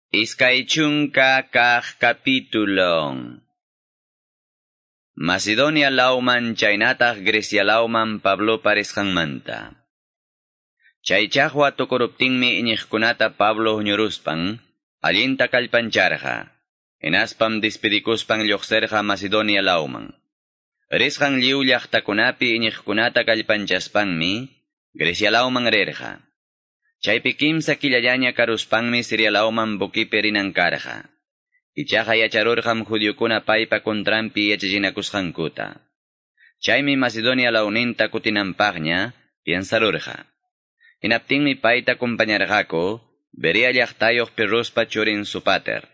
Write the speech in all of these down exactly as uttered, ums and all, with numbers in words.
Iskay chunka kaq capítulo. Macedonia lawman chaynataq Grecia lawman Pablo parisqanmanta. Chay chaqwa tukuruptinmi iñiqkunata Pablo huñuruspan allinta kallpancharqa. Hinaspam despedikuspan lluqsirqa Macedonia lawman. Risqan lliw llaqtakunapi iñiqkunata kallpanchaspanmi Grecia lawman rirqa. Chaypi kimsa killallaña karuspanmi Siria lawman bukipi rinan karqa. Ichaqa yacharurqam judiokuna paypa contranpi yachachinakusqankuta. Chaymi Macedonia lawninta kutinanpaqña piensarurqa. Hinaptinmi payta acompañarqaku Berea llaqtayuq Pirruspa churin Sopater,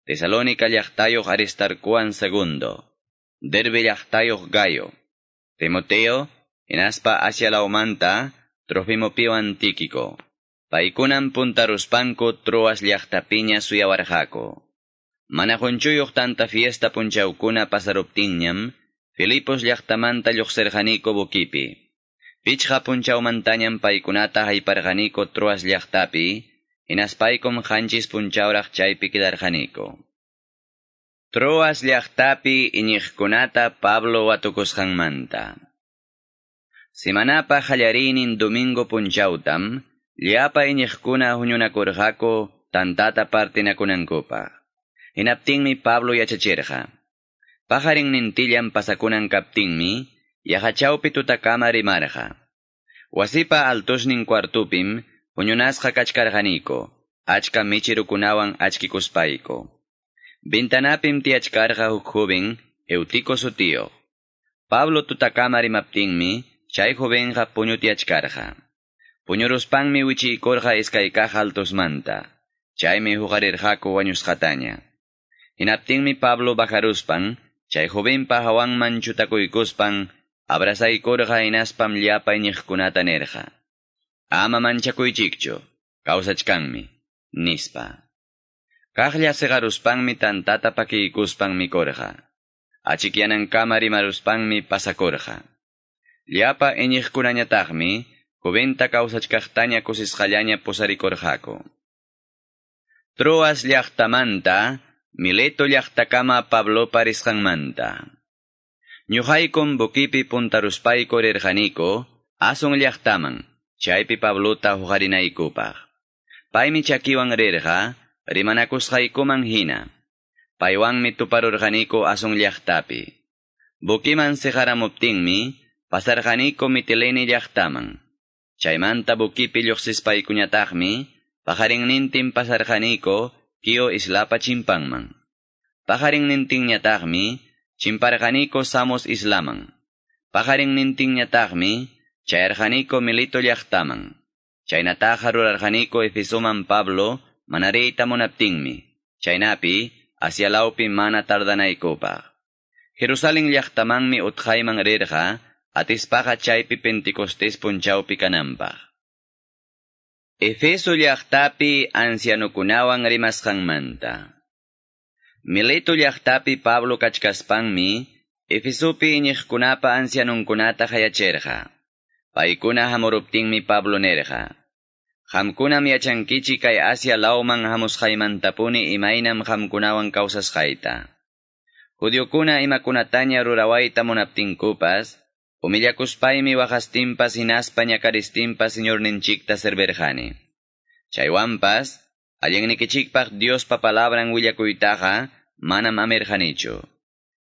Tesalónica llaqtayuq Aristarcoan segundo, Derbe llaqtayuq Gayo, Timoteo, hinaspa Asia lawmanta Trofimopiwan Tíquico. Paykunam puntaruspanku Troas llaqtapiña suyawarqaku. Mana qunchuyuq tanta fiesta punchawkuna pasaruptinñam, Filipos llaqtamanta lluqsirqaniku bukipi. Pichqa punchawmantañam paykunata hayparqaniku Troas llaqtapi, hinaspaykum qanchis punchawraq chaypi quedarqaniku. Troas llaqtapi iñiqkunata Pablo watukusqanmanta. Semanapa qallariynin domingo punchawtam, llapa iñiqkuna huñunakurqaku tantata partinakunankupaq. Hinaptinmi Pablo yachachirqa. Pajarinnintillan pasakunan kaptinmi, yaqachawpi tutakama rimarqa. Wasipa altosnin cuartupim huñunasqa kachkarqaniku, achka michirukunawan achkikuspayku. Ventanapim tiyachkarqa huk joven, Eutico sutiyuq. Pablo tutakama rimaptinmi, chay jovenqa puñutiyachkarqa. Puñuruspanmi wichiykurqa iskay kaq altosmanta. Chaymi huqarirqaku wañusqataña. Hinaptinmi Pablo bajaruspan, chay jovenpa hawanman chutakuykuspan, abrazaykurqa hinaspam llapa iñiqkunata nirqa. Ama manchakuychikchu, kawsachkanmi, nispa. Kaqlla siqaruspanmi tantata pakiykuspan mikurqa. Achikyanankama rimaruspanmi pasakurqa. Llapa iñiqkunañataqmi, joventa kawsachkaqtaña kusisqallaña pusarikurqaku. Troas llaqtamanta, Mileto llaqtakama Pablo parisqanmanta. Ñuqaykum bukipi puntaruspayku rirqaniku, Ason llaqtaman, chaypi Pablota huqarinaykupaq. Paymi chakiwan rirqa, rimanakusqaykuman hina. Paywanmi tuparurqaniku Ason llaqtapi. Bukiman siqaramuptinmi, pasarqaniku Mitilene llaqtaman. Chaymanta bukipi lluqsispaykuñataqmi, pajarinnintin pasarqaniku Quío islapa chimpanman. Pajarinnintinñataqmi, chimparqaniku Samos islaman. Pajarinnintinñataqmi, chayarqaniku Milito llaqtaman. Chaynataqa rurarqaniku Efesoman Pablo mana riyta munaptinmi. Chaynapi, Asia lawpi mana tardanaykupaq. Jerusalén llaqtamanmi utqayman rirqa, atispaqa chaypi Pentecostés punchawpi kananpaq. Efeso llaqtapi ancianukunawan rimasqanmanta. Mileto llaqtapi Pablo kachkaspanmi, Efesopi iñiqkunapa ancianunkunata qayachirqa. Paykuna hamuruptinmi Pablo nirqa: Qamkunam yachankichik kay Asia lawman hamusqaymantapuni imaynam qamkunawan kawsasqayta. Judiokuna imakunataña rurawayta munaptinkupas, humillakuspaymi waqastinpas hinaspa ñakaristinpas Señorninchikta servirqani. Chaywanpas, allinnikichikpaq Diospa palabran willakuytaqa manam amirqanichu.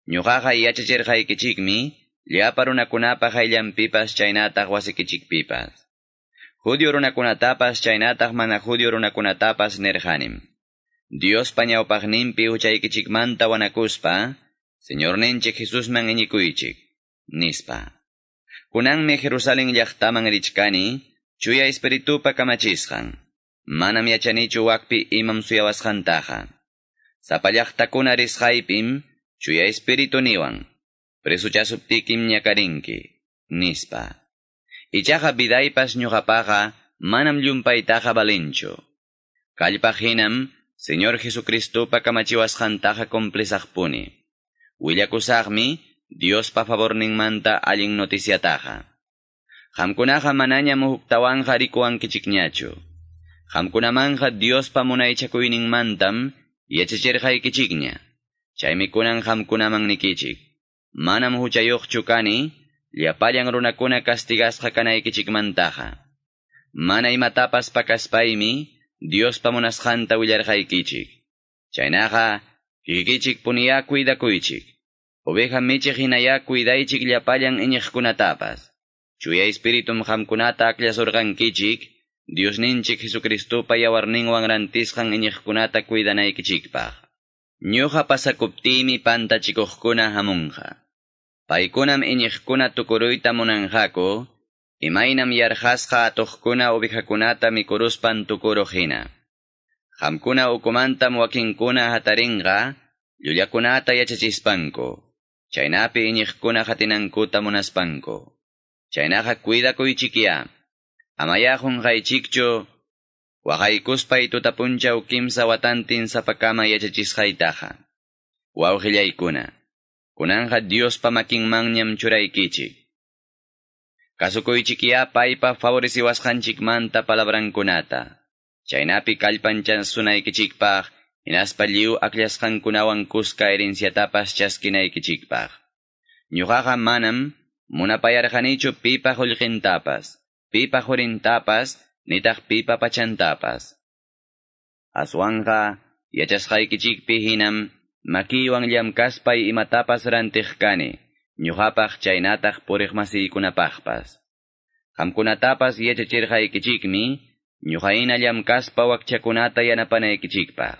Ñuqaqa yachachirqaykichikmi llapa runakunapa qayllanpipas chaynataq wasikichikpipas. Judio runakunatapas chaynataq mana judio runakunatapas nirqanim. Diospa ñawpaqninpi huchaykichikmanta wanakuspa, Señorninchik Jesusman iñikuychik, nispa. Kunanmi Jerusalén llaqtaman richkani, Chuya Espiritupa kamachisqan. Manam yachanichu wakpi imam suyawasqantaqa. Sapa llaqtakuna risqaypim, Chuya Espiritu niwan, presuchasuptikim ñakarinki, nispa. Ichaqa vidaypas ñuqapaqa manam llumpaytaqa valinchu. Kallpaq hinam, Señor Jesucristopa kamachiwasqantaqa cumplisaqpuni. Willakusaqmi, Diospa favorninmanta allin noticiataqa. Qamkunaqa manañam huktawanqa rikuwankichikñachu. Qamkunamanqa Diospa munaychakuyninmantam yachachirqaykichikña. Chaymi kunan qamkunaman nikichik. Manam huchayuqchu kani, llapallan runakuna castigasqa kanaykichikmantaqa. Mana imatapas pakaspaymi, Diospa munasqanta willarqaykichik. Chaynaqa, kikikichik puniyá cuidakuychik. Oveja michiq hinayá cuidaychik llapallan iñiqkunatapas. Chuya Espiritum qamkunata akllasurqankichik, Diosninchik Jesucristopa yawarninwan rantisqan iñiqkunata cuidanaykichikpaq. Ñuqa pasakuptiymi pantachikuqkuna hamunqa. Paykunam iñiqkuna tukuruyta munanqaku, imaynam yarqasqa atuqkuna ovejakunata mikuruspan tukuruq hina. Qamkuna ukumantam wakinkuna hatarinqa, llullakunata yachachispanku, chaynapi iñiqkuna qatinankuta munaspanku. Chaynaqa cuidakuychikyá, amayá qunqaychikchu, waqaykuspay tutapunchaw kimsa watantin sapakama yachachisqaytaqa. Wawqillaykuna, kunanqa Diospa makinmanñam churaykichik. Kasukuychikyá paypa favoreciwasqanchikmanta palabrankunata. Chaynapi kallpanchansunaykichikpaq, hinaspa lliw akllasqankunawan kuska herenciatapas chaskinaykichikpaq. Ñuqaqa manam munapayarqanichu pipa qullqintapas, pipa qurintapas, nitaq pipa pachantapas. Aswanqa yachasqaykichikpi hinam makiywan llamkaspay imatapas rantiq kani, ñuqapaq chaynataq puriqmasiykunapaqpas. Qamkunatapas yachachirqaykichikmi, ñuqayna llamkaspa wakchakunata yanapanaykichikpaq.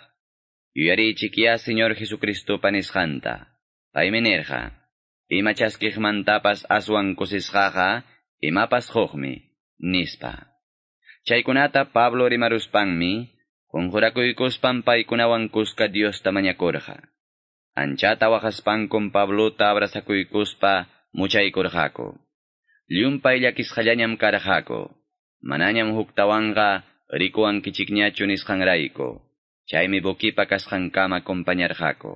Yuyariychikyá Señor Jesucristopa nisqanta. Paymi nirqa, ima chaskiqmantapas aswan kusisqaqa, imapas quqmi, nispa. Chaykunata Pablo rimaruspanmi, qunqurakuykuspan paykunawan kuska Diosta mañakurqa. Anchata waqaspankum Pablota abrazakuykuspa muchaykurqaku. Llumpay llakisqallañam karqaku. Manañam huktawanqa rikuwankichikñachu nisqanrayku. Chaymi buquipa kasqankama acompañarqaku.